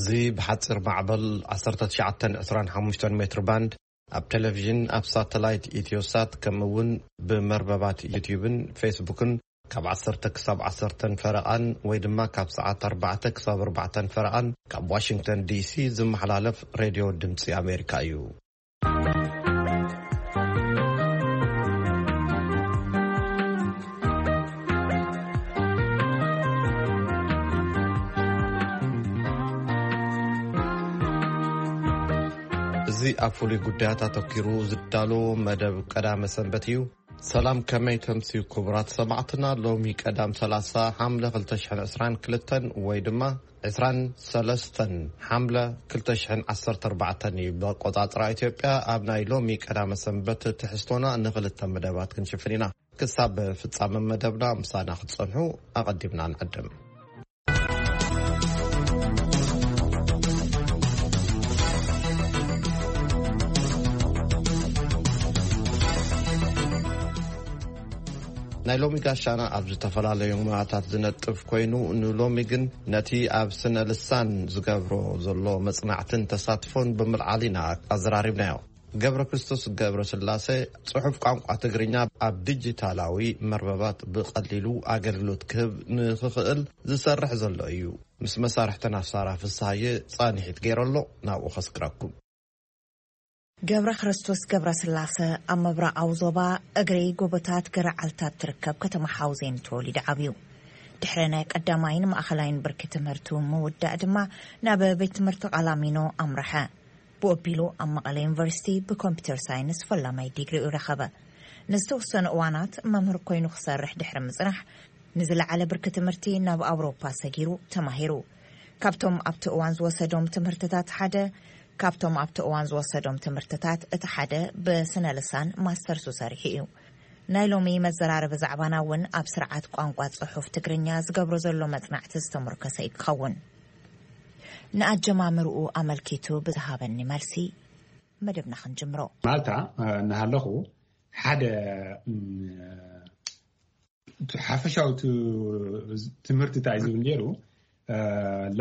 እዚ ብሓፂር ማዕበል ዓሰርተ ትሽዓተ ዕስራን ሓሙሽተን ሜትር ባንድ ኣብ ቴሌቪዥን፣ ኣብ ሳተላይት ኢትዮሳት፣ ከምኡ እውን ብመርበባት ዩቲዩብን ፌስቡክን ካብ ዓሰርተ ክሳብ ዓሰርተን ፈረቓን ወይ ድማ ካብ ሰዓት ኣርባዕተ ክሳብ ኣርባዕተን ፈረቓን ካብ ዋሽንግተን ዲሲ ዝመሓላለፍ ሬድዮ ድምፂ ኣሜሪካ እዩ። እዚ ኣብ ፍሉይ ጉዳያት ኣተኪሩ ዝዳሎ መደብ ቀዳመ ሰንበት እዩ። ሰላም፣ ከመይ ተምስዩ ክቡራት ሰማዕትና? ሎሚ ቀዳም ሰላሳ ሓምለ ክልተ ሽሕን ዕስራን ክልተን ወይ ድማ ዕስራን ሰለስተን ሓምለ ክልተ ሽሕን ዓሰርተ ኣርባዕተን እዩ ብኣቆጻጽራ ኢትዮጵያ። ኣብ ናይ ሎሚ ቀዳመ ሰንበት ትሕዝቶና ንኽልተ መደባት ክንሽፍን ኢና። ክሳብ ፍጻመ መደብና ምሳና ክትጸንሑ ኣቐዲምና ንዕድም። ናይ ሎሚ ጋሻና ኣብ ዝተፈላለዩ ሙያታት ዝነጥፍ ኮይኑ፣ ንሎሚ ግን ነቲ ኣብ ስነ ልሳን ዝገብሮ ዘሎ መጽናዕትን ተሳትፎን ብምልዓል ኢና ኣዘራሪብናዮ። ገብረ ክርስቶስ ገብረ ስላሴ ጽሑፍ ቋንቋ ትግርኛ ኣብ ዲጂታላዊ መርበባት ብቐሊሉ ኣገልግሎት ክህብ ንኽኽእል ዝሰርሕ ዘሎ እዩ። ምስ መሳርሕትና ሳራ ፍስሃየ ጻንሒት ገይሩ ኣሎ። ናብኡ ከስክረኩም። ገብረ ክርስቶስ ገብረ ስላሰ ኣብ ምብራቓዊ ዞባ እግሪ ጎቦታት ገረዓልታት ትርከብ ከተማ ሓውዜን ተወሊዱ ዓብዩ። ድሕሪ ናይ ቀዳማይን ማእኸላይን ብርኪ ትምህርቱ ምውዳእ ድማ ናብ ቤት ትምህርቲ ቃላሚኖ ኣምርሐ። ብኡ ኣቢሉ ኣብ መቐለ ዩኒቨርሲቲ ብኮምፒውተር ሳይንስ ፈላማይ ዲግሪኡ ረኸበ። ንዝተወሰኑ እዋናት መምህር ኮይኑ ክሰርሕ ድሕሪ ምጽናሕ፣ ንዝለዓለ ብርኪ ትምህርቲ ናብ ኣውሮፓ ሰጊሩ ተማሂሩ። ካብቶም ኣብቲ እዋን ዝወሰዶም ትምህርትታት ሓደ ካብቶም ኣብቲ እዋን ዝወሰዶም ትምህርትታት እቲ ሓደ ብስነ ልሳን ማስተርሱ ሰሪሑ እዩ። ናይ ሎሚ መዘራረቢ ዛዕባና እውን ኣብ ስርዓት ቋንቋ ጽሑፍ ትግርኛ ዝገብሮ ዘሎ መጽናዕቲ ዝተመርኮሰ እዩ ክኸውን። ንኣጀማምርኡ ኣመልኪቱ ብዝሃበኒ መልሲ መደብና ክንጅምሮ። ማልታ፣ እ፣ እናሃለኹ ሓደ፣ እም፣ እቲ ሓፈሻዊ ት-፣ ትምህርቲ እንታይ ዝብል ነይሩ? እ፣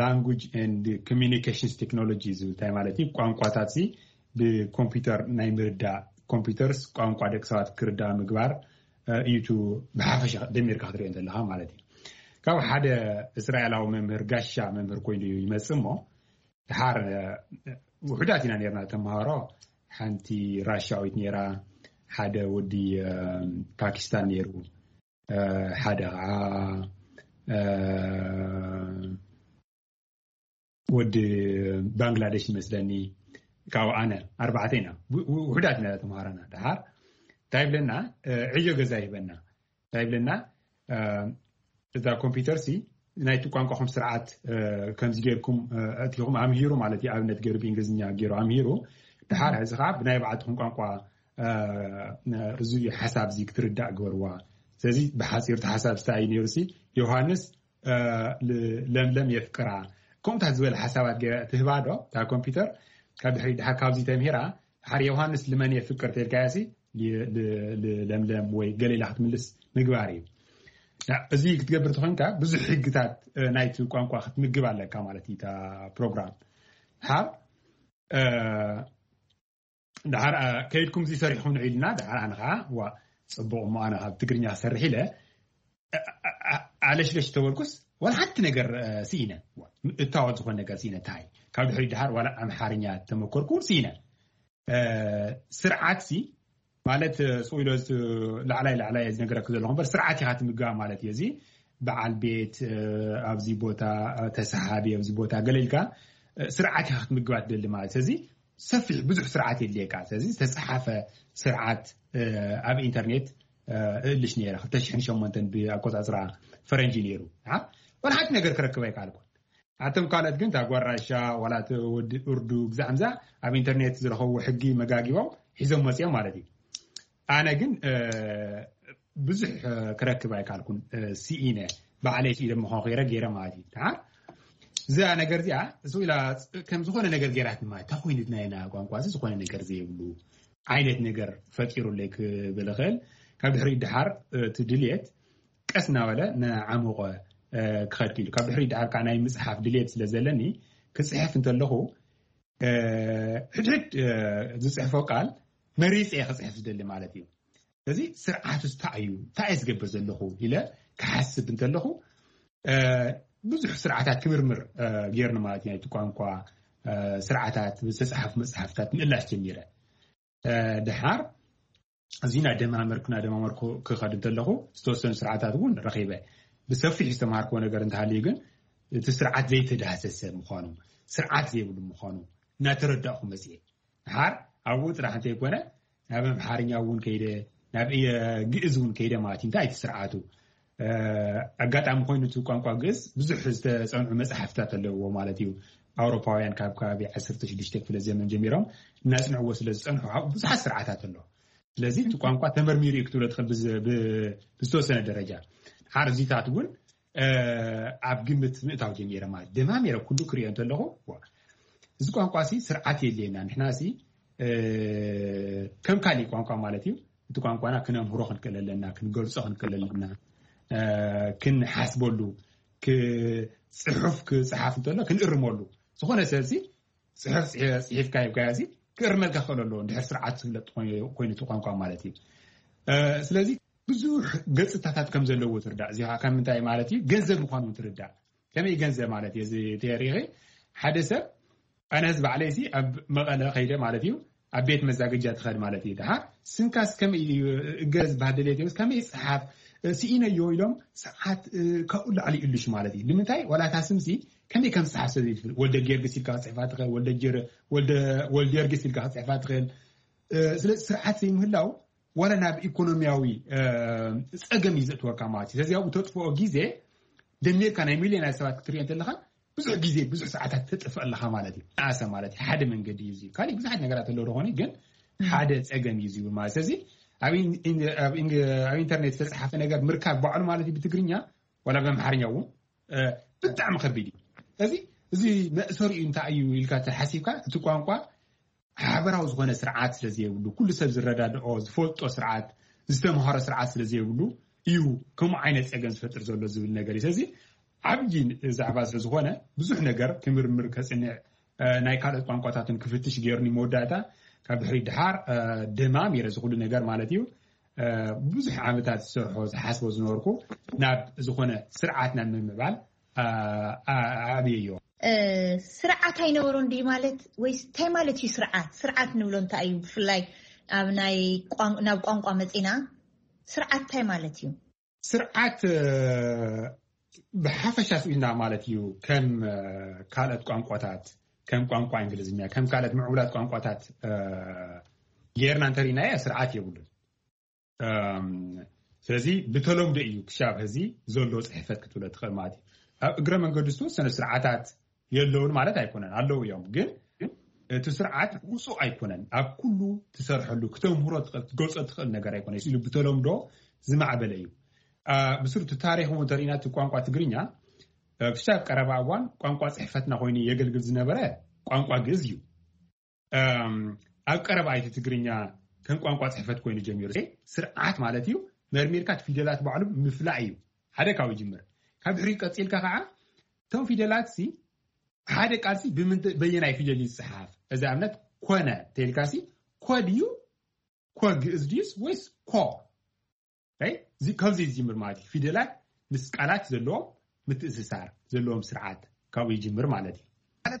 Language and Communications Technology ዝብል እንታይ ማለት እዩ? ቋንቋታት ሲ ብኮምፒውተር ናይ ምርዳእ፣ ኮምፒውተርስ ቋንቋ ደቂ ሰባት ክርዳእ ምግባር፣ እ፣ እዩ። እቲ ብሓፈሻ ደሚርካ ክትሪኦ ዘለኻ ማለት እዩ። ካብ ሓደ እስራኤላዊ መምህር፣ ጋሻ መምህር ኮይኑ እዩ ይመጽእ እሞ፣ ድሓር፣ እ፣ ውሑዳት ኢና ነርና ተምሃሮ። ሓንቲ ራሻዊት ነራ፣ ሓደ ወዲ፣ እ፣ ፓኪስታን ነይሩ፣ እ፣ ሓደ ኸዓ፣ እ፣ ወዲ ባንግላደሽ ይመስለኒ። ካብኡ ኣነ፣ ኣርባዕተ ኢና። ው-፣ ው-፣ ውሑዳት ኢና ተምሃሮና። ድሓር እንታይ ይብለና? እ፣ ዕዮ ገዛ ይህበና። እንታይ ይብለና? እ፣ እዛ ኮምፒውተር ሲ ናይቲ ቋንቋኹም ስርዓት፣ እ፣ ከምዚ ጌርኩም፣ እ፣ ኣእቲኹም ኣምሂሩ ማለት እዩ። ኣብነት ገይሩ ብእንግሊዝኛ ገይሩ ኣምሂሩ። ድሓር እዚ ኸዓ ብናይ ባዕልትኹም ቋንቋ፣ እ፣ እዚ ሓሳብ እዚ ክትርዳእ ግበርዋ። ስለዚ ብሓፂሩ እቲ ሓሳብ ስታይ ነይሩ ሲ፣ ዮሃንስ፣ እ፣ ል-፣ ለምለም የፍቅራ። ከምኡታት ዝበለ ሓሳባት ገይራ ትህባ ዶ እታ ኮምፒውተር? ካብ ድሕሪ ድሓር ካብዚ ተምሂራ፣ ድሓር ዮሃንስ ልመን የፍቅር ተልካያ ሲ፣ ል-፣ ል-፣ ል-፣ ለምለም ወይ ገሌላ ክትምልስ ምግባር እዩ። ያ፣ እዚ ክትገብር ተኾይንካ ብዙሕ ሕግታት፣ እ፣ ናይቲ ቋንቋ ክትምግብ ኣለካ ማለት እዩ እታ ፕሮግራም። ድሓር፣ እ፣ ድሓር፣ እ፣ ከይድኩም እዚ ሰሪሕኩም ንዑ ኢልና፣ ድሓር ኣነ ኸዓ፣ ዋ፣ ጽቡቕ እሞ ኣነ ካብ ትግርኛ ክሰርሕ ኢለ፣ እ፣ እ፣ እ፣ ኣለሽለሽ ተበልኩስ፣ ዋላ ሓንቲ ነገር፣ እ፣ ስኢነ። ዋ፣ እታወት ዝኾነ ነገር ስኢነ። እንታይ? ካብ ድሕሪት ድሓር ዋላ ኣምሓርኛ ተመኮርኩ እውን ስኢነ። እ፣ ስርዓት ሲ፣ ማለት፣ እ፣ ስቕ ኢሎ ዝ-፣ ላዕላይ ላዕላይ ዝነገረክ ዘለኹ እምበር፣ ስርዓት ኢኻ ትምገባ ማለት እዩ። እዚ በዓል ቤት፣ እ፣ ኣብዚ ቦታ፣ እ፣ ተሰሓቢ ኣብዚ ቦታ ገለ ኢልካ፣ እ፣ ስርዓት ኢኻ ክትምገባ ትደሊ ማለት። ስለዚ ሰፊሕ ብዙሕ ስርዓት የድልየካ። ስለዚ ዝተሰሓፈ ስርዓት፣ እ፣ ኣብ ኢንተርኔት፣ እ፣ እእልሽ ነይረ። ክልተ ሽሕን ሸሞንተን ብኣቆጻጽራ ፈረንጂ ነይሩ። ኣ? ዋላ ሓንቲ ነገር ክረክብ ኣይከኣልኩን። ኣቶም ካልኦት ግን እታ ጓል ራሻ፣ ዋላ እቲ ወዲ እርዱ፣ ግዛዕ ምዛ ኣብ ኢንተርኔት ዝረኸብዎ ሕጊ መጋጊቦም ሒዞም መጺኦም ማለት እዩ። ኣነ ግን፣ እ፣ ብዙሕ፣ እ፣ ክረክብ ኣይከኣልኩን፣ እ፣ ስኢነ። ባዕለይ ስኢነ ምዃን ኸይረ ገይረ ማለት እዩ። ደሓር እዛ ነገር እዚኣ፣ እሱ ኢላ ከም ዝኾነ ነገር ገይራት ማለት፣ እንታይ ኮይኑ ናይና ቋንቋ እዚ ዝኾነ ነገር ዘይብሉ ዓይነት ነገር ፈጢሩለይ ክብል እኽእል። ካብ ድሕሪኡ ደሓር፣ እ፣ እቲ ድልየት ቀስ እናበለ እናዓሞቐ፣ እ፣ ክኸድ ክኢሉ። ካብ ድሕሪኡ ደሓር ከዓ ናይ ምጽሓፍ ድልየት ስለ ዘለኒ፣ ክፅሕፍ እንተለኹ ሕድሕድ ዝፅሕፎ ቃል መሪፀ እየ ክፅሕፍ ዝደሊ ማለት እዩ። ስለዚ ስርዓት እንታይ እዩ እንታይ እየ ዝገብር ዘለኹ ኢለ ክሓስብ እንተለኹ ብዙሕ ስርዓታት ክምርምር ገይርኒ ማለት እዩ። ናይቲ ቋንቋ ስርዓታት ዝተፅሓፉ መፅሓፍታት ምእላሽ ጀሚረ። ድሓር እዚ ናደማመርኩ ናደማመርኩ ክኸድ እንተለኹ ዝተወሰኑ ስርዓታት እውን ረኺበ። ብሰፊሕ ዝተምሃርክዎ ነገር እንተሃልዩ ግን እቲ ስርዓት ዘይተዳህሰሰ ምዃኑ፣ ስርዓት ዘይብሉ ምዃኑ እናተረዳእኩ መፅኤ። ድሓር ኣብኡ ጥራሕ እንተይኮነ ናብ ኣምሓርኛ እውን ከይደ፣ ናብ ግእዝ እውን ከይደ ማለት እዩ። እንታይ እቲ ስርዓቱ ኣጋጣሚ ኮይኑ እቲ ቋንቋ ግእዝ ብዙሕ ዝተፀንዑ መፅሓፍታት ኣለዎ ማለት እዩ። ኣውሮፓውያን ካብ ከባቢ ዓሰርተ ሽዱሽተ ክፍለ ዘመን ጀሚሮም እናፅንዕዎ ስለ ዝፀንሑ ብዙሓት ስርዓታት ኣሎ። ስለዚ እቲ ቋንቋ ተመርሚሩ እዩ ክትብሎ ትኽእል ብዝተወሰነ ደረጃ። ሓርዚታት እውን ኣብ ግምት ምእታው ጀሚረ ማለት ደማሚረ ኩሉ ክሪኦ እንተለኹ እዚ ቋንቋ ሲ ስርዓት የድልየና። ንሕና ሲ ከም ካሊእ ቋንቋ ማለት እዩ። እቲ ቋንቋና ክነምህሮ ክንክእል ኣለና፣ ክንገልፆ ክንክእል ኣለና፣ ክንሓስበሉ፣ ጽሑፍ ክፅሓፍ እንተሎ ክንእርመሉ። ዝኾነ ሰብ ሲ ፅሑፍ ፅሒፍካ ሂብካዮ ሲ ክእርመልካ ክኽእል ኣለዎ እንድሕር ስርዓት ዝፍለጥ ኮይኑ እቲ ቋንቋ ማለት እዩ። ስለዚ ብዙሕ ገፅታታት ከም ዘለዎ ትርዳእ። እዚ ከዓ ከም ምንታይ ማለት እዩ? ገንዘብ ምዃኑ ትርዳእ። ከመይ ገንዘብ ማለት እዩ? እዚ ተሪኺ ሓደ ሰብ ኣነ ህዝቢ ዓለይሲ ኣብ መቐለ ከይደ ማለት እዩ ኣብ ቤት መዛግጃ ትኸድ ማለት እዩ። ድሓር ስንካስ ከመይ እገ ዝበሃል ደልየት ከመይ ይፅሓፍ ስኢነዮ ኢሎም ሰዓት ካብኡ ላዕሊ ይእልሽ ማለት እዩ። ንምንታይ ዋላ እታ ስምሲ ከመይ ከም ዝፅሓፍ ሰብ ይትብል። ወልደ ጊዮርጊስ ኢልካ ክፅሕፋ ትኽእል፣ ወልደ ጊዮር- ወልደ ወልደ ጊዮርጊስ ኢልካ ክፅሕፋ ትኽእል። ስለዚ ስርዓት ዘይምህላው ዋላ ናብ ኢኮኖሚያዊ ፀገም እዩ ዘእትወካ ማለት እዩ። ስለዚ ኣብኡ ተጥፍኦ ግዜ ደሚርካ ናይ ሚልዮናት ሰባት ክትሪኦ እንተለካ ብዙሕ ግዜ ብዙሕ ሰዓታት ተጥፍእ ኣለካ ማለት እዩ። ኣሰ ማለት እዩ ሓደ መንገዲ እዩ። ካሊእ ብዙሓት ነገራት ኣለዉ ደኾነ ግን ሓደ ፀገም እዩ ዝብል ማለት ስለዚ ኣብ ኢንተርኔት ዝተፅሓፈ ነገር ምርካብ ባዕሉ ማለት እዩ ብትግርኛ ዋላ ብኣምሓርኛ እውን ብጣዕሚ ከቢድ እዩ። ስለዚ እዚ መእሰሪኡ እንታይ እዩ ኢልካ ተሓሲብካ እቲ ቋንቋ ሓበራዊ ዝኾነ ስርዓት ስለ ዘይብሉ ኩሉ ሰብ ዝረዳድኦ ዝፈልጦ ስርዓት ዝተምሃሮ ስርዓት ስለ ዘይብሉ እዩ ከምኡ ዓይነት ፀገም ዝፈጥር ዘሎ ዝብል ነገር እዩ። ስለዚ ዓብዪ ዛዕባ ስለ ዝኾነ ብዙሕ ነገር ክምርምር ከፅንዕ ናይ ካልኦት ቋንቋታትን ክፍትሽ ገይሩኒ መወዳእታ ካብ ድሕሪ ድሓር ደማም የረ ዝኩሉ ነገር ማለት እዩ ብዙሕ ዓመታት ዝሰርሖ ዝሓስቦ ዝነበርኩ ናብ ዝኾነ ስርዓት ናብ ምምዕባል ኣብየዮ። ስርዓት ኣይነበሮን ድዩ ማለት ወይስ እንታይ ማለት እዩ ስርዓት? ስርዓት ንብሎ እንታይ እዩ? ብፍላይ ኣብ ናይ ናብ ቋንቋ መፂና ስርዓት እንታይ ማለት እዩ? ስርዓት ብሓፈሻ ስኢልና ማለት እዩ ከም ካልኦት ቋንቋታት ከም ቋንቋ እንግሊዝኛ ከም ካልኦት ምዕቡላት ቋንቋታት ጌርና እንተሪእናዮ ስርዓት የብሉን። ስለዚ ብተለምዶ እዩ ክሻብ ሕዚ ዘሎ ፅሕፈት ክትብሎ ትኽእል ማለት እዩ። ኣብ እግረ መንገዱ ዝተወሰነ ስርዓታት የለውን ማለት ኣይኮነን፣ ኣለዉ እዮም። ግን እቲ ስርዓት ውፁእ ኣይኮነን። ኣብ ኩሉ ትሰርሐሉ ክተምህሮ ትኽእል ክትገልፆ ትኽእል ነገር ኣይኮነ ኢሉ ብተለምዶ ዝማዕበለ እዩ። ብስሩ እቲ ታሪክ እውን ተሪእና እቲ ቋንቋ ትግርኛ ክሻብ ቀረባ እዋን ቋንቋ ፅሕፈትና ኮይኑ የገልግል ዝነበረ ቋንቋ ግእዝ እዩ። ኣብ ቀረባ እቲ ትግርኛ ከም ቋንቋ ፅሕፈት ኮይኑ ጀሚሩ ስርዓት ማለት እዩ። መርሚርካ ፊደላት ባዕሉ ምፍላእ እዩ ሓደ ካብ ይጅምር። ካብ ድሕሪ ቀፂልካ ከዓ እቶም ፊደላት ሲ ሓደ ቃል ሲ በየናይ ፊደል እዩ ዝፅሓፍ? እዚ ኣብነት ኮነ ተልካ ሲ ኮ ድዩ ኮ ግእዝ ድዩስ ወይስ ኮ? ካብዚ ይጅምር ማለት እዩ። ፊደላት ምስ ቃላት ዘለዎም ምትእስሳር ዘለዎም ስርዓት ካብኡ ይጅምር ማለት እዩ።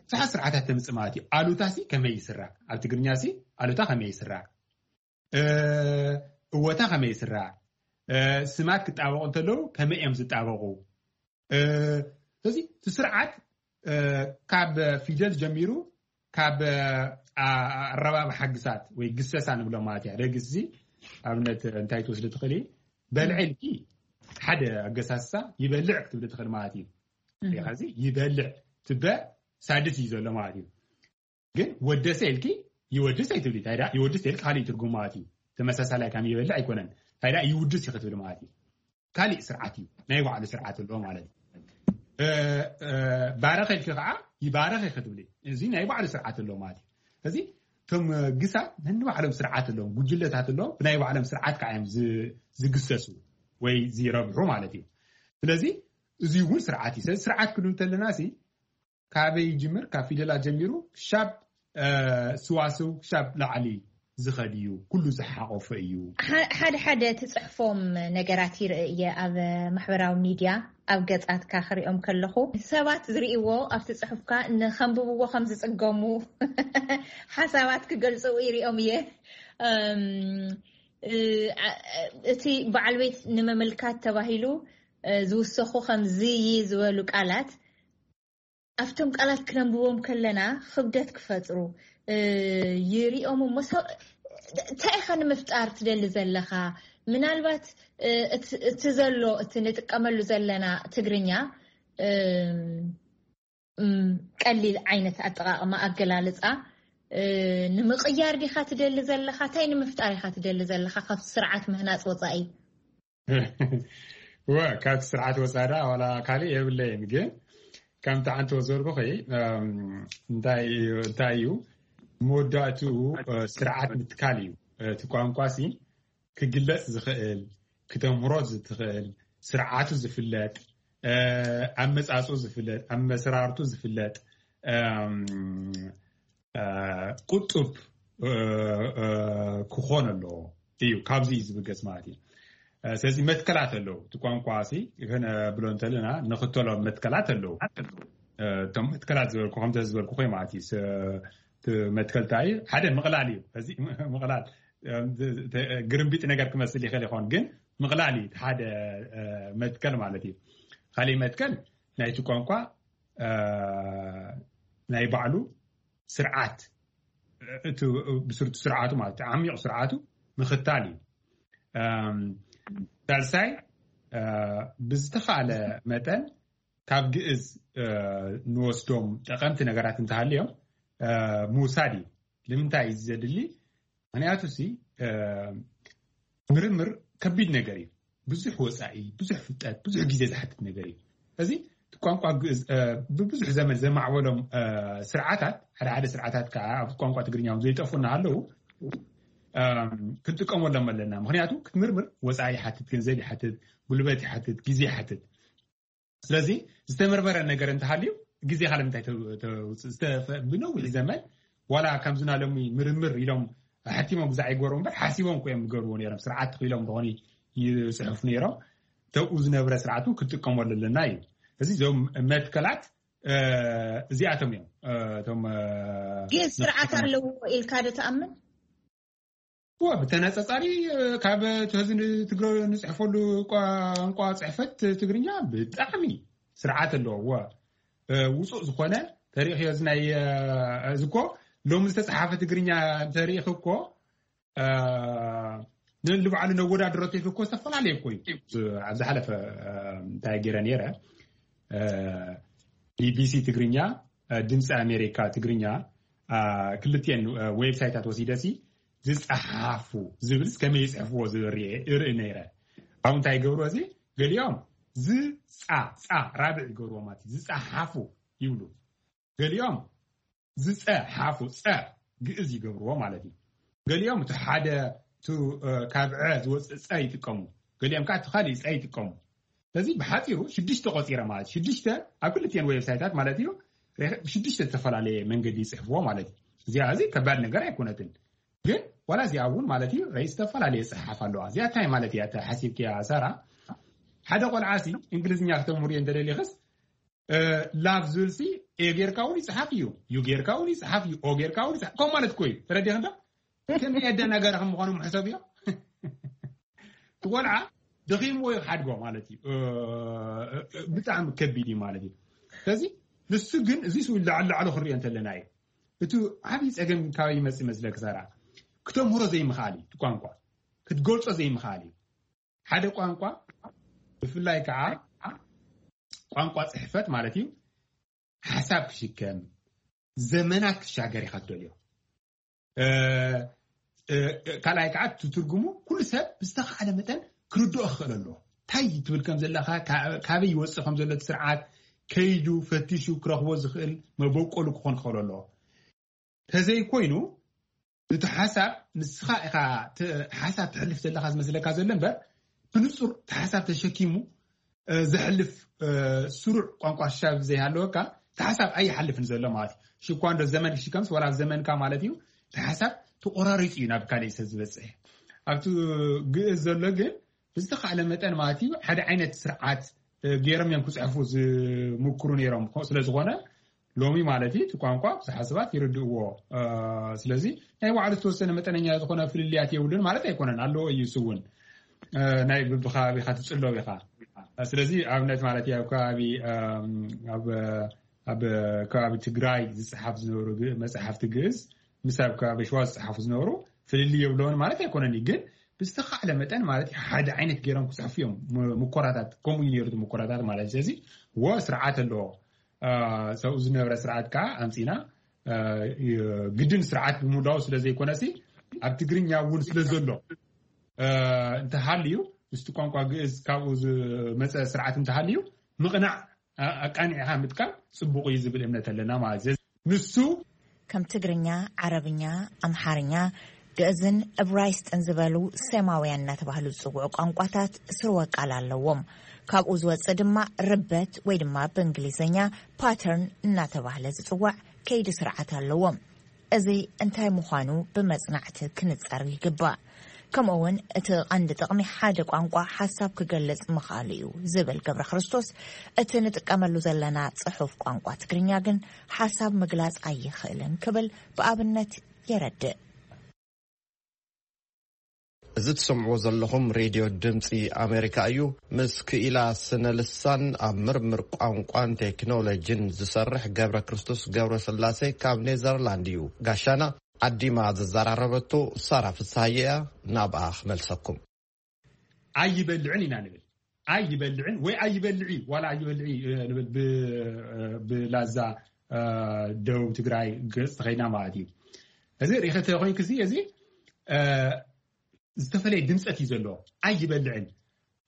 ብዙሓት ስርዓታት ተምፅእ ማለት እዩ። ኣሉታ ሲ ከመይ ይስራዕ? ኣብ ትግርኛ ሲ ኣሉታ ከመይ ይስራዕ? እወታ ከመይ ይስራዕ? ስማት ክጣበቁ እንተለዉ ከመይ እዮም ዝጣበቁ? ስለዚ እቲ ስርዓት ካብ ፊደል ጀሚሩ ካብ ኣረባብ ሓግሳት ወይ ግሰሳ ንብሎ ማለት እዩ። ደግስ እዚ ኣብነት እንታይ ትወስድ ትኽእል እዩ? በልዐ ኢልኪ ሓደ ኣገሳስሳ ይበልዕ ክትብል ትኽእል ማለት እዩ። ዚ ይበልዕ ትበ ሳድስ እዩ ዘሎ ማለት እዩ። ግን ወደሰ ኢልኪ ይወድስ ኣይትብሊ። እንታይ ደኣ ይወድስ ኢልኪ ካሊእ ትርጉም ማለት እዩ። ተመሳሳላይ ከም ይበልዕ ኣይኮነን። እንታይ ደኣ ይውድስ እዩ ክትብል ማለት እዩ። ካሊእ ስርዓት እዩ። ናይ ባዕሉ ስርዓት ኣለዎ ማለት እዩ። ባረኸ ኢልኪ ከዓ ይባረኸ ክትብሊ እዚ ናይ ባዕሉ ስርዓት ኣለዎ ማለት እዩ። እዚ እቶም ግሳት ነንባዕሎም ስርዓት ኣለዎም፣ ጉጅለታት ኣለዎም፣ ብናይ ባዕሎም ስርዓት ከዓ እዮም ዝግሰሱ ወይ ዝረብሑ ማለት እዩ። ስለዚ እዚ እውን ስርዓት እዩ። ስለዚ ስርዓት ክንብል እንተለና ሲ ካበይ ይጅምር? ካብ ፊደላት ጀሚሩ ክሻብ ስዋስው ክሻብ ላዕሊ ዝኸድ እዩ። ኩሉ ዝሓቆፈ እዩ። ሓደ ሓደ ትፅሕፎም ነገራት ይርኢ እየ ኣብ ማሕበራዊ ሚድያ፣ ኣብ ገፃትካ ክሪኦም ከለኹ ሰባት ዝርእዎ ኣብቲ ፅሑፍካ ንከንብብዎ ከም ዝፅገሙ ሓሳባት ክገልፁ ይሪኦም እየ። እቲ በዓል ቤት ንምምልካት ተባሂሉ ዝውሰኹ ከም ዝይ ዝበሉ ቃላት ኣብቶም ቃላት ክነንብቦም ከለና ክብደት ክፈጥሩ ይሪኦም እሞ እንታይ ኢኻ ንምፍጣር ትደሊ ዘለኻ? ምናልባት እቲ ዘሎ እቲ ንጥቀመሉ ዘለና ትግርኛ ቀሊል ዓይነት ኣጠቃቅማ ኣገላልፃ ንምቅያር ዲኻ ትደሊ ዘለኻ? እንታይ ንምፍጣር ኢኻ ትደሊ ዘለኻ ካብቲ ስርዓት ምህናፅ ወፃኢ? ወ ካብቲ ስርዓት ወፃኢ ዋላ ካልእ የብለይን፣ ግን ከምቲ ሓንቲ ወዘርኩኺ እንታይ እዩ እንታይ እዩ መወዳእትኡ ስርዓት ምትካል እዩ። እቲ ቋንቋ ሲ ክግለፅ ዝኽእል፣ ክተምህሮ ዝትኽእል፣ ስርዓቱ ዝፍለጥ፣ ኣመፃፅኡ ዝፍለጥ፣ ኣመሰራርቱ ዝፍለጥ፣ ቁጡብ ክኾን ኣለዎ እዩ። ካብዚ እዩ ዝብገስ ማለት እዩ። ስለዚ መትከላት ኣለዉ። እቲ ቋንቋ ሲ ከነብሎ እንተለና ንኽተሎ መትከላት ኣለዉ። እቶም መትከላት ዝበልኩ ከምተ ዝበልኩ ኮይ ማለት እዩ። መትከልታ እዩ ሓደ ምቕላል እዩ። እዚ ምቕላል ግርምቢጥ ነገር ክመስል ይኽእል ይኸውን፣ ግን ምቕላል እዩ ሓደ መትከል ማለት እዩ። ካሊእ መትከል ናይቲ ቋንቋ ናይ ባዕሉ ስርዓት፣ እቲ ብስርቱ ስርዓቱ ማለት ዓሚቕ ስርዓቱ ምኽታል እዩ። ሳልሳይ ብዝተኻለ መጠን ካብ ግእዝ ንወስዶም ጠቐምቲ ነገራት እንተሃልዮም ምውሳድ እዩ። ንምንታይ እዩ ዘድሊ? ምክንያቱ ሲ ምርምር ከቢድ ነገር እዩ። ብዙሕ ወፃኢ፣ ብዙሕ ፍልጠት፣ ብዙሕ ግዜ ዝሓትት ነገር እዩ። እዚ ቋንቋ ግእዝ ብብዙሕ ዘመን ዘማዕበሎም ስርዓታት፣ ሓደ ሓደ ስርዓታት ከዓ ኣብ ቋንቋ ትግርኛ ዘይጠፉ እናሃለዉ ክንጥቀመሎም ኣለና። ምክንያቱ ክትምርምር ወፃኢ ይሓትት፣ ገንዘብ ይሓትት፣ ጉልበት ይሓትት፣ ግዜ ይሓትት። ስለዚ ዝተመርመረ ነገር እንተሃልዩ ግዜኻ ንምንታይ ተውፅእ? ብነዊሕ ዘመን ዋላ ከምዝና ሎሚ ምርምር ኢሎም ሓቲሞም ብዛዕ ይገሩ እምበር ሓሲቦም ኮ እዮም ዝገርዎ ነይሮም። ስርዓት ተኽኢሎም ዝኾኑ ይፅሕፉ ነይሮም። ተብኡ ዝነበረ ስርዓት እውን ክትጥቀመሉ ኣለና እዩ። እዚ እዞም መትከላት እዚኣቶም እዮም። እቶም ግን ስርዓት ኣለዎ ኢልካ ዶ ትኣምን? ብተነፃፃሪ ካብ እቲ ህዚ ንትግረ ንፅሕፈሉ ቋንቋ ፅሕፈት ትግርኛ ብጣዕሚ ስርዓት ኣለዎ። ውፁእ ዝኾነ ተሪእኽዮ እዚ ናይ እዚ እኮ ሎሚ ዝተፅሓፈ ትግርኛ እንተሪእኽ እኮ ንልባዕሉ ነወዳድረቱ ኢልክ እኮ ዝተፈላለየ እኮ እዩ። ኣብ ዝሓለፈ እንታይ ገይረ ነይረ፣ ቢቢሲ ትግርኛ፣ ድምፂ ኣሜሪካ ትግርኛ ክልቲኤን ዌብሳይታት ወሲደሲ ዝፀሓፉ ዝብል ከመይ ይፅሕፍዎ ዝብል እርኢ ነይረ። ኣብ እንታይ ይገብርዎ እዚ ገሊኦም ዝፃ ፃ ራብዕ ይገብርዎ ማለት እዩ። ዝፀሓፉ ይብሉ። ገሊኦም ዝፀ ሓፉ ፀ ግእዝ ይገብርዎ ማለት እዩ። ገሊኦም እቲ ሓደ ካብ ዐ ዝወፅእ ፀ ይጥቀሙ፣ ገሊኦም ከዓ እቲ ካሊእ ፀ ይጥቀሙ። ስለዚ ብሓፂሩ ሽዱሽተ ቆፂረ ማለት ሽዱሽተ ኣብ ክልቲኤን ዌብሳይታት ማለት እዩ። ሽዱሽተ ዝተፈላለየ መንገዲ ይፅሕፍዎ ማለት እዩ። እዚኣ እዚ ከባድ ነገር ኣይኮነትን፣ ግን ዋላ እዚኣ እውን ማለት እዩ ረ ዝተፈላለየ ፅሓፍ ኣለዋ። እዚኣ እንታይ ማለት እያ ሓሲብክያ ሳራ? ሓደ ቆልዓ ሲ እንግሊዝኛ ክተምህርዮ እንተደሊኽስ ላቭ ዝብል ሲ ኤ ጌርካ እውን ይፅሓፍ እዩ፣ ዩ ጌርካ እውን ይፅሓፍ እዩ፣ ኦ ጌርካ እውን ይፅሓፍ። ከም ማለት እኮ እዩ። ተረዲኽ እንዶ ከመይ ኣደናጋሪ ከም ምዃኑ ምሕሰብ እዮ። ትቆልዓ ደኺምዎ እዩ ሓድጎ ማለት እዩ። ብጣዕሚ ከቢድ እዩ ማለት እዩ። ስለዚ ንሱ ግን እዚ ስኡ ላዕሊ ላዕሉ ክንሪኦ እንተለና እዩ። እቲ ዓብዪ ፀገም ካበይ ይመፅእ መስለክ ሳራ? ክተምህሮ ዘይምኽኣል እዩ። ቋንቋ ክትገልፆ ዘይምኽኣል እዩ። ሓደ ቋንቋ ብፍላይ ከዓ ቋንቋ ፅሕፈት ማለት እዩ ሓሳብ ክሽከም ዘመናት ክሻገር ኢኻ ትደልዮ። ካልኣይ ከዓ ትትርጉሙ ኩሉ ሰብ ብዝተኻእለ መጠን ክርድኦ ክኽእል ኣለዎ። እንታይ ትብል ከም ዘለካ፣ ካበይ ይወፅእ ከም ዘሎ እቲ ስርዓት ከይዱ ፈቲሹ ክረኽቦ ዝኽእል መበቆሉ ክኾን ክኽእል ኣለዎ። ተዘይኮይኑ እቲ ሓሳብ ንስኻ ኢኻ ሓሳብ ትሕልፍ ዘለካ ዝመስለካ ዘሎ እምበር ብንፁር እቲ ሓሳብ ተሸኪሙ ዘሕልፍ ስሩዕ ቋንቋ ሻብ ዘይሃለወካ እቲ ሓሳብ ኣይሓልፍን ዘሎ ማለት እዩ። ሽኳ እንዶ ዘመን ክሽከምስ ወላ ኣብ ዘመንካ ማለት እዩ። እቲ ሓሳብ ተቆራሪፁ እዩ ናብ ካልእ ሰብ ዝበፅሕ። ኣብቲ ግእዝ ዘሎ ግን ብዝተኻእለ መጠን ማለት እዩ ሓደ ዓይነት ስርዓት ገይሮም እዮም ክፅሕፉ ዝምክሩ ነይሮም። ስለዝኾነ ሎሚ ማለት እዩ እቲ ቋንቋ ብዙሓት ሰባት ይርድእዎ። ስለዚ ናይ ባዕሉ ዝተወሰነ መጠነኛ ዝኾነ ፍልልያት የብሉን ማለት ኣይኮነን፣ ኣለዎ እዩ። እሱ እውን ናይ ብብከባቢኻ ትፅለው ኢኻ። ስለዚ ኣብነት ማለት እዩ ኣብ ከባቢ ኣብ ከባቢ ትግራይ ዝፅሓፍ ዝነበሩ መፅሓፍቲ ግእዝ ምስ ኣብ ከባቢ ሸዋ ዝፅሓፉ ዝነበሩ ፍልልይ የብለውን ማለት ኣይኮነን እዩ። ግን ብዝተኻእለ መጠን ማለት እዩ ሓደ ዓይነት ገይሮም ክፅሕፉ እዮም። ምኮራታት ከምኡ እዩ ነይሩ፣ ምኮራታት ማለት። ስለዚ ወ ስርዓት ኣለዎ። ሰብኡ ዝነበረ ስርዓት ከዓ ኣምፂና ግድን ስርዓት ብምውዳው ስለ ዘይኮነሲ ኣብ ትግርኛ እውን ስለ ዘሎ እንተሃልዩ ምስቲ ቋንቋ ግእዝ ካብኡ ዝመፀ ስርዓት እንተሃልዩ ምቕናዕ ኣቃኒዕካ ምጥቃም ፅቡቕ እዩ ዝብል እምነት ኣለና ማለት እዩ። ንሱ ከም ትግርኛ፣ ዓረብኛ፣ ኣምሓርኛ፣ ግእዝን እብራይስጥን ዝበሉ ሴማውያን እናተባህሉ ዝፅውዑ ቋንቋታት ስርወ ቃል ኣለዎም። ካብኡ ዝወፅእ ድማ ርበት ወይ ድማ ብእንግሊዝኛ ፓተርን እናተባህለ ዝፅዋዕ ከይዲ ስርዓት ኣለዎም። እዚ እንታይ ምዃኑ ብመጽናዕቲ ክንጸር ይግባእ። ከምኡ እውን እቲ ቀንዲ ጥቕሚ ሓደ ቋንቋ ሓሳብ ክገልጽ ምኽኣሉ እዩ ዝብል ገብረ ክርስቶስ፣ እቲ ንጥቀመሉ ዘለና ጽሑፍ ቋንቋ ትግርኛ ግን ሓሳብ ምግላጽ ኣይኽእልን ክብል ብኣብነት የረድእ። እዚ ትሰምዕዎ ዘለኹም ሬድዮ ድምፂ ኣሜሪካ እዩ። ምስ ክኢላ ስነ ልሳን ኣብ ምርምር ቋንቋን ቴክኖሎጂን ዝሰርሕ ገብረ ክርስቶስ ገብረ ስላሴ ካብ ኔዘርላንድ እዩ ጋሻና። ዓዲማ ዘዘራረበቶ ሳራ ፍስሃየ እያ። ናብኣ ክመልሰኩም። ኣይበልዕን ኢና ንብል። ኣይበልዕን ወይ ኣይበልዒ ዋላ ኣይበልዒ ንብል ብላዛ ደቡብ ትግራይ ገፅ ተኸይና ማለት እዩ። እዚ ሪኸ ተኮይንክ እዚ እዚ ዝተፈለየ ድምፀት እዩ ዘለዎ። ኣይበልዕን፣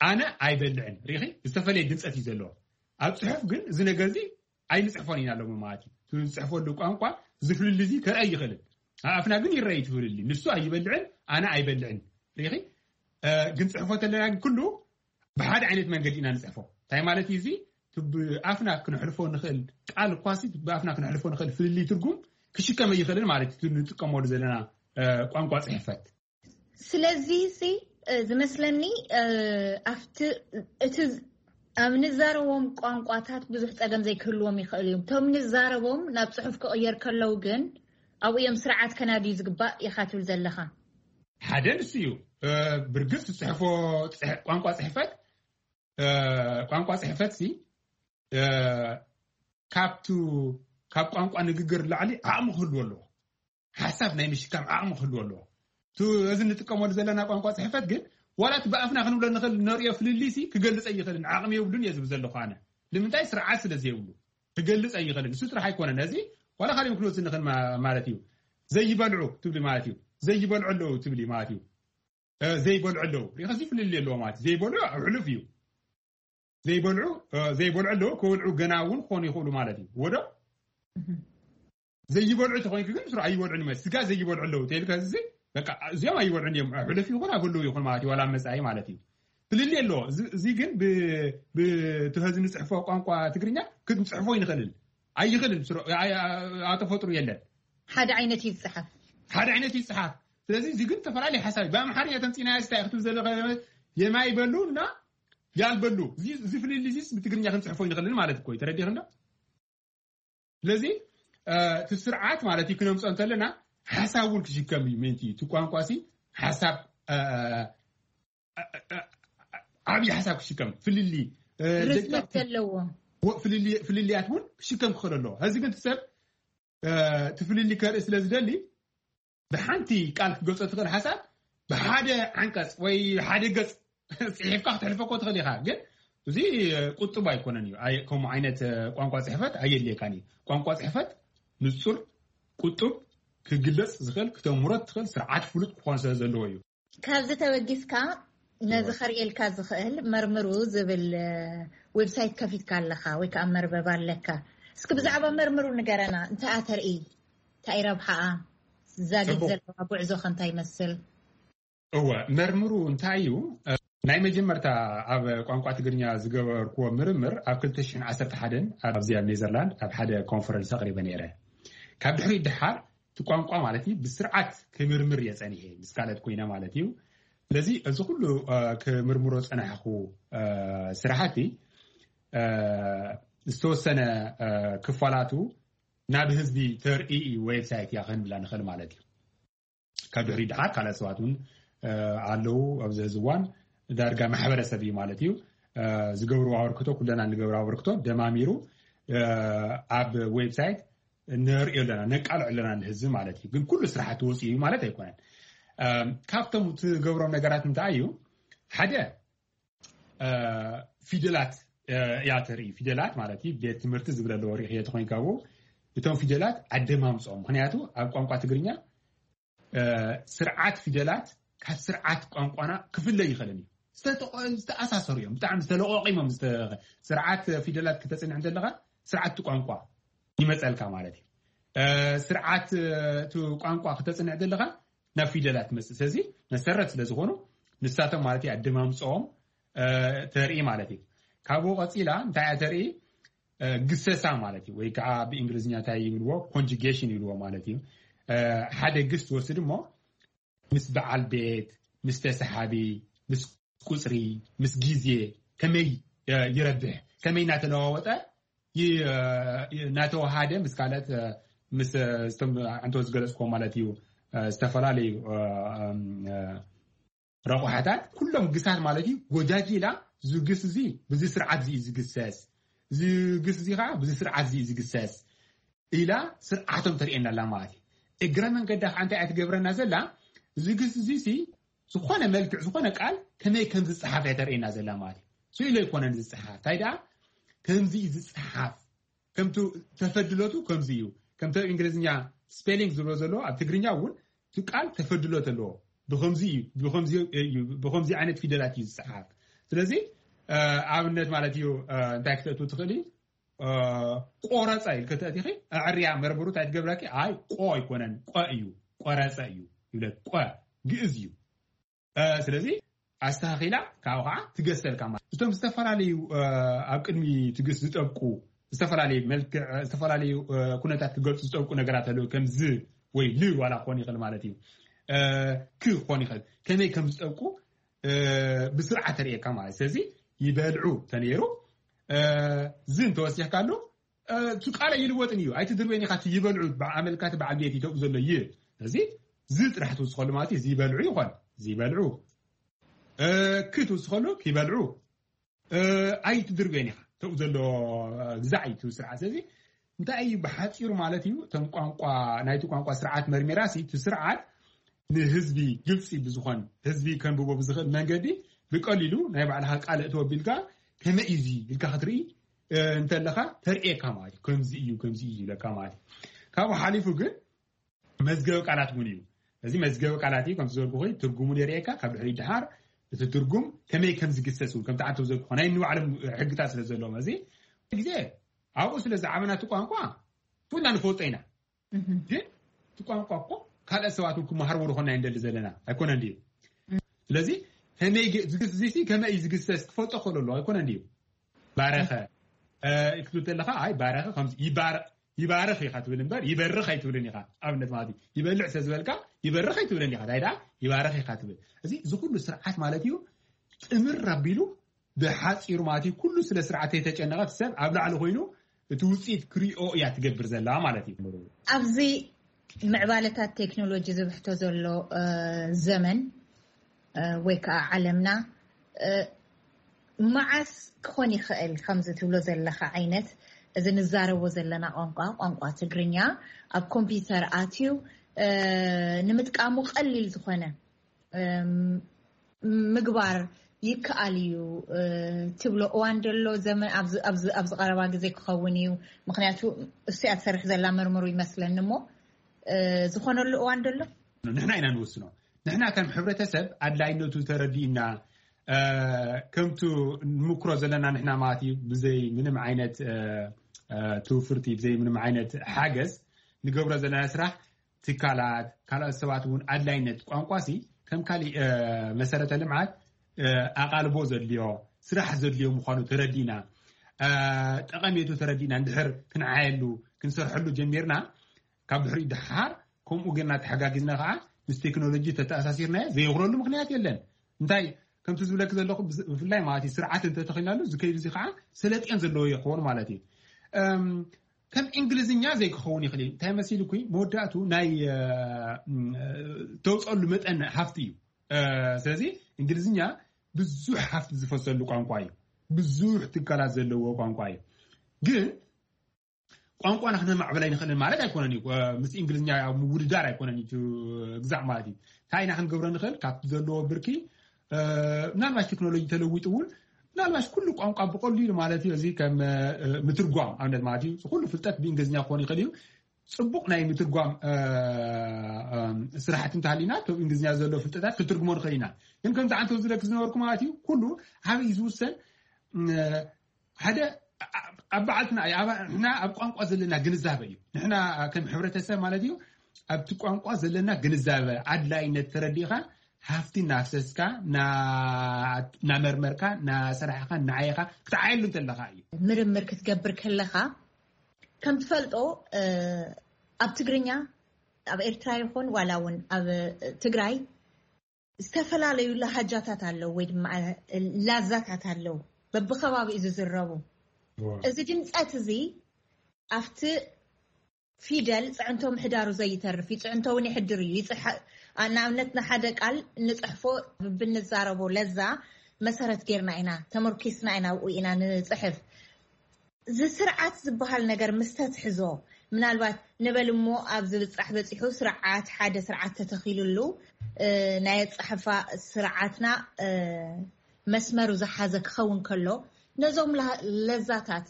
ኣነ ኣይበልዕን። ሪኺ ዝተፈለየ ድምፀት እዩ ዘለዎ። ኣብ ፅሑፍ ግን እዚ ነገር እዚ ኣይንፅሕፎን ኢና ሎሚ ማለት እዩ። እቲ ዝፅሕፈሉ ቋንቋ ዝፍልል እዚ ከርአይ ይኽእልን ኣፍና ግን ይረአይ ትፍልል። ንሱ ኣይበልዕን፣ ኣነ ኣይበልዕን። ሪኺ ግን ፅሕፎ ተለና ግን ኩሉ ብሓደ ዓይነት መንገዲ ኢና ንፅሕፎ። እንታይ ማለት እዩ እዚ? ብኣፍና ክነሕልፎ ንኽእል ቃል እኳሲ ብኣፍና ክነሕልፎ ንኽእል ፍልልይ ትርጉም ክሽከም ኣይኽእልን ማለት እዩ። ንጥቀመሉ ዘለና ቋንቋ ፅሕፈት ስለዚ ሲ ዝመስለኒ ኣብቲ እቲ ኣብ ንዛረቦም ቋንቋታት ብዙሕ ጸገም ዘይክህልዎም ይኽእል እዩ። እቶም ንዛረቦም ናብ ጽሑፍ ክቕየር ከለው ግን ኣብኡ እዮም ስርዓት ከናድዩ ዝግባእ ኢኻ ትብል ዘለኻ። ሓደ ንሱ እዩ። ብርግጽ ዝጽሕፎ ቋንቋ ጽሕፈት ቋንቋ ጽሕፈት ሲ ካብቱ ካብ ቋንቋ ንግግር ላዕሊ ዓቕሚ ክህልዎ ኣለዎ። ሓሳብ ናይ ምሽካም ዓቕሚ ክህልዎ ኣለዎ። እቲ እዚ እንጥቀመሉ ዘለና ቋንቋ ጽሕፈት ግን ዋላ እቲ ብኣፍና ክንብሎ ንኽእል ነርእዮ ፍልልይ ሲ ክገልጽ ኣይኽእልን፣ ዓቕሚ የብሉን እየ ዝብል ዘለኹ ኣነ። ንምንታይ? ስርዓት ስለ ዘየብሉ ክገልጽ ኣይኽእልን። ንሱ ጥራሕ ኣይኮነን፣ ነዚ ዋላ ካልእ ክንወስድ ንኽእል ማለት እዩ። ዘይበልዑ ትብሊ ማለት እዩ። ዘይበልዑ ኣለዉ ትብሊ ማለት እዩ። ዘይበልዑ ኣለዉ ሪኸ እዚ ፍልልይ ኣለዎ ማለት እዩ። ዘይበልዑ ኣብ ሕሉፍ እዩ። ዘይበልዑ ዘይበልዑ ኣለዉ፣ ክበልዑ ገና እውን ክኾኑ ይኽእሉ ማለት እዩ። ወዶ ዘይበልዑ ተኾይንክ ግን ስሩ ኣይበልዑን ማለት ስጋ ዘይበልዑ ኣለዉ ተይልካ እዚ በቃ እዚኦም ኣይበልዑን እዮም። ሕሉፍ ይኹን ኣብ ህልው ይኹን ማለት እዩ። ዋላ መጻኢ ማለት እዩ። ፍልልይ ኣለዎ። እዚ ግን ብትኸዚ ንፅሕፎ ቋንቋ ትግርኛ ክንፅሕፎ ይንኽእልን ኣይኽእልን። ኣተፈጥሩ የለን። ሓደ ዓይነት እዩ ዝፅሓፍ። ሓደ ዓይነት እዩ ዝፅሓፍ። ስለዚ እዚ ግን ዝተፈላለዩ ሓሳብ ብኣምሓርኛ ተምፂና ስታይ ክትብ ዘለካ የማይ በሉ እና ያልበሉ እዚ ፍልልይ እዚ ብትግርኛ ክንፅሕፎ ይንኽእልን ማለት እኮ እዩ። ተረዲኽና። ስለዚ እቲ ስርዓት ማለት እዩ ክነምፆ እንተለና ሓሳብ እውን ክሽከም እዩ። ምንቲ እቲ ቋንቋ ሲ ሓሳብ ዓብዪ ሓሳብ ክሽከም ፍልሊ ርዝመት ዘለዎ ፍልልያት እውን ክሽከም ክኽእል ኣለዎ። ሕዚ ግን እቲ ሰብ እቲ ፍልሊ ከርኢ ስለ ዝደሊ ብሓንቲ ቃል ክትገልፆ ትኽእል ሓሳብ ብሓደ ዓንቀፅ ወይ ሓደ ገፅ ፅሒፍካ ክትሕልፈኮ ትኽእል ኢኻ። ግን እዚ ቁጡብ ኣይኮነን እዩ። ከምኡ ዓይነት ቋንቋ ፅሕፈት ኣየድልየካን እዩ። ቋንቋ ፅሕፈት ንፁር፣ ቁጡብ፣ ክግለፅ ዝኽእል፣ ክተምሮ ትኽእል ስርዓት ፍሉጥ ክኾን ስለ ዘለዎ እዩ። ካብዚ ተበጊስካ ነዚ ከርእየልካ ዝኽእል መርምሩ ዝብል ዌብሳይት ከፊትካ ኣለኻ ወይ ከዓ መርበብ ኣለካ። እስኪ ብዛዕባ መርምሩ ንገረና። እንታይ እያ ተርኢ? እንታይ ረብሓኣ? ዛጊት ዘለዋ ጉዕዞ ከ እንታይ ይመስል? እወ መርምሩ እንታይ እዩ? ናይ መጀመርታ ኣብ ቋንቋ ትግርኛ ዝገበርክዎ ምርምር ኣብ ክልተ ሽሕን ዓሰርተ ሓደን ኣብዚ ኣብ ኔዘርላንድ ኣብ ሓደ ኮንፈረንስ ኣቕሪበ ነይረ። ካብ ድሕሪት ድሓር እቲ ቋንቋ ማለት እዩ ብስርዓት ክምርምር እየ ጸኒሐ፣ ምስ ካልኦት ኮይነ ማለት እዩ። ስለዚ እዚ ኩሉ ክምርምሮ ጸናሕኩ ስራሕቲ ዝተወሰነ ክፋላቱ ናብ ህዝቢ ተርኢ እዩ ዌብሳይት እያ ክንብላ ንኽእል ማለት እዩ። ካብ ድሕሪ ድሓር ካልኦት ሰባት እውን ኣለዉ ኣብዚ ሕዚ እዋን ዳርጋ ማሕበረሰብ እዩ ማለት እዩ። ዝገብርዎ ኣበርክቶ ኩለና ንገብሮ ኣበርክቶ ደማሚሩ ኣብ ዌብሳይት ነርእዮ ኣለና፣ ነቃልዕ ኣለና ንህዝቢ ማለት እዩ። ግን ኩሉ ስራሕቲ ወፂኡ እዩ ማለት ኣይኮነን። ካብቶም ትገብሮም ነገራት እንታይ እዩ? ሓደ ፊደላት እያ ተርኢ። ፊደላት ማለት እዩ ቤት ትምህርቲ ዝብል ኣለዎ ሪእኽዮ ተኮይንካ ብኡ እቶም ፊደላት ኣደማምፅኦም። ምክንያቱ ኣብ ቋንቋ ትግርኛ ስርዓት ፊደላት ካብ ስርዓት ቋንቋና ክፍለ ይኽእልን እዩ። ዝተኣሳሰሩ እዮም። ብጣዕሚ ዝተለቆቂሞም ስርዓት ፊደላት ክተፅንዕ እንተለካ ስርዓት ቋንቋ ይመፀልካ ማለት እዩ። ስርዓት ቋንቋ ክተፅንዕ ዘለካ ናብ ፊደላት ትመፅእ። ስለዚ መሰረት ስለዝኾኑ ንሳቶም ማለት እዩ ኣደማምፅኦም ተርኢ ማለት እዩ። ካብኡ ቀፂላ እንታይ እያ ተርኢ? ግሰሳ ማለት እዩ። ወይ ከዓ ብእንግሊዝኛ እንታይ ይብልዎ? ኮንጁጌሽን ይብልዎ ማለት እዩ። ሓደ ግስ ትወስድ እሞ ምስ በዓል ቤት፣ ምስ ተሰሓቢ፣ ምስ ቁፅሪ፣ ምስ ግዜ ከመይ ይረብሕ፣ ከመይ እናተለዋወጠ እናተወሃደ ምስ ካልኦት ምስ እቶም ዓንቶ ዝገለፅክዎ ማለት እዩ ዝተፈላለዩ ረቑሓታት ኩሎም ግሳት ማለት እዩ ጎጃጅላ ዝግስ እዚ ብዚ ስርዓት እዚ ዝግሰስ ዝግስ እዚ ከዓ ብዚ ስርዓት እዚ ዝግሰስ ኢላ ስርዓቶም ተርእየና ኣላ ማለት እዩ። እግረ መንገዳ ከዓ እንታይ እያ ትገብረና ዘላ? ዝግስ እዚ ሲ ዝኾነ መልክዕ ዝኾነ ቃል ከመይ ከም ዝፀሓፍ እያ ተርእየና ዘላ ማለት እዩ። ስኢሉ ኣይኮነን ዝፀሓፍ፣ እንታይ ደኣ ከምዚ እዩ ዝፀሓፍ። ከምቲ ተፈድሎቱ ከምዚ እዩ። ከምቲ ኣብ እንግሊዝኛ ስፔሊንግ ዝብሎ ዘሎ ኣብ ትግርኛ እውን እቲ ቃል ተፈድሎት ኣለዎ። ብከምዚ እዩ፣ ብከምዚ እዩ፣ ብከምዚ ዓይነት ፊደላት እዩ ዝፀሓፍ። ስለዚ ኣብነት ማለት እዩ እንታይ ክተእቱ ትኽእል እዩ? ቆረፀ ኢልከ ተእቲኺ ኣዕርያ መርምሩ እንታይ ትገብረኪ? ኣይ ቆ ኣይኮነን ቆ እዩ፣ ቆረፀ እዩ ይብለኪ። ቆ ግእዝ እዩ። ስለዚ ኣስተኻኺላ ካብኡ ከዓ ትገሰልካ ማለት እቶም ዝተፈላለዩ ኣብ ቅድሚ ትግስ ዝጠብቁ ዝተፈላለዩ መልክዕ ዝተፈላለዩ ኩነታት ክገልፁ ዝጠብቁ ነገራት ኣለዉ። ከምዚ ወይ ል ዋላ ክኾን ይኽእል ማለት እዩ። ክ ክኾን ይኽእል ከመይ ከም ዝጠብቁ ብስርዓት ተርእየካ ማለት። ስለዚ ይበልዑ ተነይሩ ዝ እንተወሲኽካሉ እቲ ቃል ኣይልወጥን እዩ። ኣይትድርበን ኢኻ። እቲ ይበልዑ ኣመልካቲ በዓል ቤት ይተብኡ ዘሎ ይ እዚ ዝ ጥራሕ ትውስኸሉ ማለት እዩ። እዚ ይበልዑ ይኾን እዚ ይበልዑ ክ ትውስኸሉ ክይበልዑ ኣይትድርበን ኢኻ። ተብኡ ዘሎ ግዛዕ እዩ እቲ ስርዓት። ስለዚ እንታይ እዩ ብሓፂሩ ማለት እዩ እቶም ቋንቋ ናይቲ ቋንቋ ስርዓት መርሚራ ሲ እቲ ስርዓት ንህዝቢ ግልፂ ብዝኾን ህዝቢ ከንብቦ ብዝኽእል መንገዲ ብቀሊሉ ናይ ባዕልኻ ቃል እተወ ቢልካ ከመይ እዩ እዚ ኢልካ ክትርኢ እንተለኻ ተርእየካ ማለት እዩ። ከምዚ እዩ ከምዚ እዩ ይብለካ ማለት እዩ። ካብኡ ሓሊፉ ግን መዝገበ ቃላት እውን እዩ። እዚ መዝገበ ቃላት እዩ ከምቲ ዝበልኩ ትርጉሙ የርእየካ። ካብ ድሕሪ ድሓር እቲ ትርጉም ከመይ ከም ዝግሰስ እውን ከምቲ ዓንተው ዘልኩ ናይ ንባዕሎም ሕግታት ስለ ዘለዎም እዚ ግዜ ኣብኡ ስለ ዝዓበና እቲ ቋንቋ ኩልና ንፈልጦ ኢና። ግን እቲ ቋንቋ እኮ ካልኦት ሰባት እውን ክመሃርዎ ዝኾንና ንደሊ ዘለና ኣይኮነን ድዩ? ስለዚ ከመይ ዝግስ እዚ ከመይ እዩ ዝግሰስ ክፈልጦ ክኽእል ኣለዎ ኣይኮነን ድዩ? ባረኸ ክትብል ከለኻ ኣይ ባረኸ ይባርኽ ኢኻ ትብል እምበር ይበርኽ ኣይትብልን ኢኻ። ኣብነት ማለት እዩ ይበልዕ ስለ ዝበልካ ይበርኽ ኣይትብልን ኢኻ። እንታይ ደኣ ይባርኽ ኢኻ ትብል። እዚ እዚ ኩሉ ስርዓት ማለት እዩ ጥምር ኣቢሉ ብሓፂሩ ማለት እዩ ኩሉ ስለ ስርዓት የተጨነቐ ሰብ ኣብ ላዕሊ ኮይኑ እቲ ውፅኢት ክሪኦ እያ ትገብር ዘላ ማለት እዩ። ኣብዚ ምዕባለታት ቴክኖሎጂ ዝብሕቶ ዘሎ ዘመን ወይ ከዓ ዓለምና መዓስ ክኾን ይኽእል ከምዚ ትብሎ ዘለኻ ዓይነት እዚ ንዛረቦ ዘለና ቋንቋ ቋንቋ ትግርኛ ኣብ ኮምፒውተር ኣትዩ ንምጥቃሙ ቀሊል ዝኾነ ምግባር ይከኣል እዩ ትብሎ እዋን ደሎ ዘመን ኣብዚ ቀረባ ግዜ ክኸውን እዩ። ምክንያቱ እሱያ ትሰርሕ ዘላ መርምሩ ይመስለኒ እሞ ዝኾነሉ እዋን ደሎ? ንሕና ኢና ንወስኖ። ንሕና ከም ሕብረተሰብ ኣድላይነቱ ተረዲእና ከምቱ ንምክሮ ዘለና ንሕና ማለት እዩ ብዘይ ምንም ዓይነት ትውፍርቲ ብዘይ ምንም ዓይነት ሓገዝ ንገብሮ ዘለና ስራሕ ትካላት ካልኦት ሰባት እውን ኣድላይነት ቋንቋ ሲ ከም ካሊእ መሰረተ ልምዓት ኣቓልቦ ዘድልዮ፣ ስራሕ ዘድልዮ ምዃኑ ተረዲእና፣ ጠቐሜቱ ተረዲእና እንድሕር ክንዓየሉ፣ ክንሰርሐሉ ጀሚርና፣ ካብ ድሕሪኡ ደሓር ከምኡ ጌርና ተሓጋጊዝና ከዓ ምስ ቴክኖሎጂ ተተኣሳሲርናዮ ዘየኽረሉ ምኽንያት የለን። እንታይ ከምቲ ዝብለክ ዘለኹ ብፍላይ ማለት እዩ ስርዓት እንተተኺልናሉ ዝከይዱ እዚ ከዓ ሰለጥዮን ዘለዎ ይኸውን ማለት እዩ። ከም እንግሊዝኛ ዘይክኸውን ይኽእል እዩ። እንታይ መሲልኩ መወዳእቱ ናይ ተውፀሉ መጠን ሃፍቲ እዩ። ስለዚ እንግሊዝኛ ብዙሕ ሃፍቲ ዝፈሰሉ ቋንቋ እዩ። ብዙሕ ትካላት ዘለዎ ቋንቋ እዩ። ግን ቋንቋና ክነማዕብል ኣይንኽእልን ማለት ኣይኮነን እዩ። ምስ እንግሊዝኛ ምውድዳር ኣይኮነን እዩ ግዛዕ ማለት እዩ። እንታይ ኢና ክንገብሮ ንኽእል ካብቲ ዘለዎ ብርኪ? ምናልባሽ ቴክኖሎጂ ተለዊጡ እውን ምናልባሽ ኩሉ ቋንቋ ብቐሊሉ ማለት እዩ እዚ ከም ምትርጓም ኣብነት ማለት እዩ ኩሉ ፍልጠት ብእንግሊዝኛ ክኾን ይኽእል እዩ። ፅቡቕ ናይ ምትርጓም ስራሕቲ እንተሃሊና ብ እንግሊዝኛ ዘሎ ፍልጠታት ክትርጉሞ ንኽእል ኢና። ግን ከምቲ ዓንተ ዝለክ ዝነበርኩ ማለት እዩ ኩሉ ዓብይ ዝውሰን ሓደ ኣብ በዓልትና እዩ። ንሕና ኣብ ቋንቋ ዘለና ግንዛበ እዩ። ንሕና ከም ሕብረተሰብ ማለት እዩ ኣብቲ ቋንቋ ዘለና ግንዛበ ኣድላይነት ተረዲእኻ ሃፍቲ እናፍሰስካ እናመርመርካ እናሰራሕኻ እናዓየኻ ክትዓየሉ እንተለኻ እዩ። ምርምር ክትገብር ከለኻ ከም ትፈልጦ ኣብ ትግርኛ ኣብ ኤርትራ ይኹን ዋላ እውን ኣብ ትግራይ ዝተፈላለዩ ላሃጃታት ኣለዉ ወይ ድማ ላዛታት ኣለዉ በብከባቢኡ ዝዝረቡ። እዚ ድምፀት እዚ ኣብቲ ፊደል ፅዕንቶ ምሕዳሩ ዘይተርፍ እዩ። ፅዕንቶ እውን ይሕድር እዩ። ንኣብነት ንሓደ ቃል ንፅሕፎ ብንዛረቦ ለዛ መሰረት ጌርና ኢና ተመርኪስና ኢና ኣብኡ ኢና ንፅሕፍ። እዚ ስርዓት ዝበሃል ነገር ምስ ተትሕዞ ምናልባት ንበል እሞ ኣብ ዝብፃሕ በፂሑ ስርዓት ሓደ ስርዓት ተተኺሉሉ ናይ ኣፃሕፋ ስርዓትና መስመሩ ዝሓዘ ክኸውን ከሎ ነዞም ለዛታት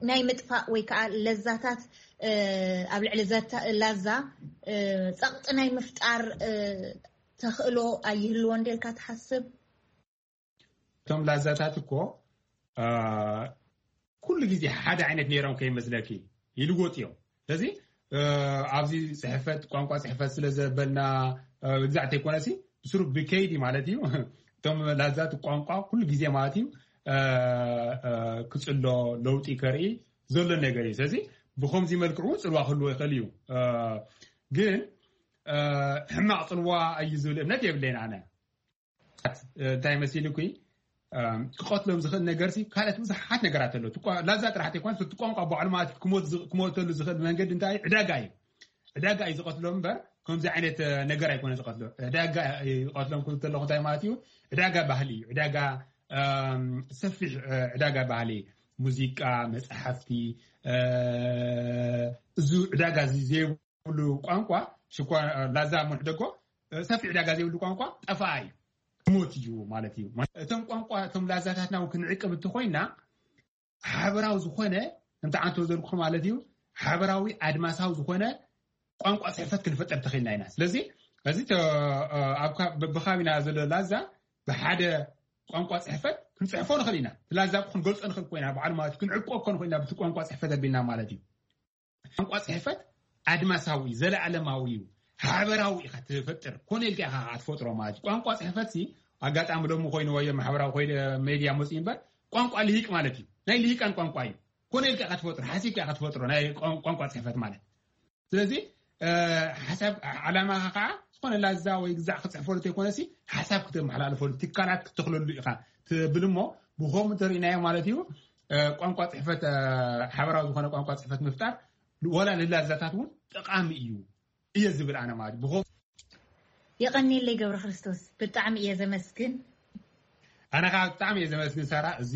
ናይ ምጥፋእ ወይ ከዓ ለዛታት ኣብ ልዕሊ ላዛ ፀቕጢ ናይ ምፍጣር ተኽእሎ ኣይህልዎ እንዴልካ ትሓስብ? እቶም ላዛታት እኮ ኩሉ ግዜ ሓደ ዓይነት ነይሮም ከይመስለኪ ይልወጡ እዮም። ስለዚ ኣብዚ ፅሕፈት ቋንቋ ፅሕፈት ስለ ዘበልና ግዛዕ ተይኮነሲ ብስሩ ብከይዲ ማለት እዩ እቶም ላዛት ቋንቋ ኩሉ ግዜ ማለት እዩ ክፅሎ ለውጢ ከርኢ ዘሎ ነገር እዩ። ስለዚ ብከምዚ መልክዑ እውን ፅልዋ ክህልዎ ይኽእል እዩ። ግን ሕማቕ ፅልዋ እዩ ዝብል እምነት የብለይን ኣነ። እንታይ መሲሉ ኩ ክቐትሎም ዝኽእል ነገር ሲ ካልኦት ብዙሓት ነገራት ኣሎ። ላዛ ጥራሕ ተይኮነ እቲ ቋንቋ ባዕሉ ማለት ክሞተሉ ዝኽእል መንገዲ እንታይ ዕዳጋ እዩ። ዕዳጋ እዩ ዝቐትሎም እምበር ከምዚ ዓይነት ነገር ኣይኮነ ዝቐትሎ። ዕዳጋ ይቐትሎም ክብል ከለኹ እንታይ ማለት እዩ? ዕዳጋ ባህሊ እዩ። ዕዳጋ ሰፊሕ ዕዳጋ ባህሊ፣ ሙዚቃ፣ መፅሓፍቲ፣ እዚ ዕዳጋ እዚ ዘይብሉ ቋንቋ ሽኳ ላዛ ምንሕደጎ ሰፊሕ ዕዳጋ ዘይብሉ ቋንቋ ጠፋኣ እዩ፣ ሞት እዩ ማለት እዩ። እቶም ቋንቋ እቶም ላዛታትና እውን ክንዕቅብ እንተኮይና ሓበራዊ ዝኾነ ከምቲ ዓንቶ ዘልኩ ማለት እዩ ሓበራዊ ኣድማሳዊ ዝኾነ ቋንቋ ፅሕፈት ክንፈጠር ተኽኢልና ኢና። ስለዚ እዚ ብኻቢና ዘሎ ላዛ ብሓደ ቋንቋ ፅሕፈት ክንፅሕፎ ንኽእል ኢና። ላዛ ክንገልፆ ንኽእል ኮይና ባዕሉ ማለት ክንዕቆ እኮ ንኽእል ኢና ብቲ ቋንቋ ፅሕፈት ኣቢልና ማለት እዩ። ቋንቋ ፅሕፈት ኣድማሳዊ ዘለኣለማዊ እዩ። ሓበራዊ ኢኻ ትፈጥር ኮነ ኢልካ ኢኻ ትፈጥሮ ማለት እዩ። ቋንቋ ፅሕፈት ሲ ኣጋጣሚ ሎሚ ኮይኑ ወይ ማሕበራዊ ኮይነ ሜድያ መፅኡ እምበር ቋንቋ ልሂቅ ማለት እዩ። ናይ ልሂቃን ቋንቋ እዩ። ኮነ ኢልካ ኢኻ ትፈጥሮ ሓሲብካ ኢኻ ትፈጥሮ ናይ ቋንቋ ፅሕፈት ማለት ስለዚ ሓሳብ ዓላማኻ ከዓ ዝኾነ ላዛ ወይ ግዛዕ ክፅሕፈሉ ተይኮነሲ ሓሳብ ክተመሓላልፈሉ ትካላት ክትተኽለሉ ኢኻ ትብል እሞ ብኸምኡ እንተሪእናዮ ማለት እዩ ቋንቋ ፅሕፈት ሓበራዊ ዝኾነ ቋንቋ ፅሕፈት ምፍጣር ወላ ንላዛታት እውን ጠቃሚ እዩ እየ ዝብል ኣነ ማለት ብኸ የቐኒለይ ገብረ ክርስቶስ ብጣዕሚ እየ ዘመስግን። ኣነ ከዓ ብጣዕሚ እየ ዘመስግን ሳራ እዚ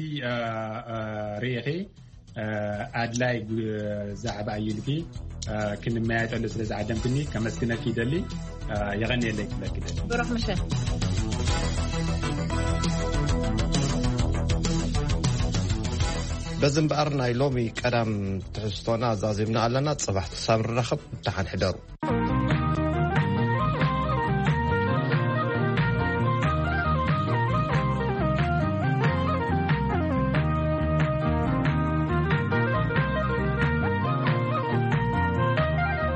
ርኢኺ ኣድላይ ዛዕባ እዩ ኢልኪ ክንመያየጠሉ ስለ ዝዓደምክኒ ከመስግነኪ ይደሊ። የቐኒየለይ ክብለኪ ደሊ። ብሩኽ ምሸት። በዚ እምበኣር ናይ ሎሚ ቀዳም ትሕዝቶና ዛዚምና ኣለና። ፅባሕ ክሳብ ንራኸብ ደሓን ሕደሩ።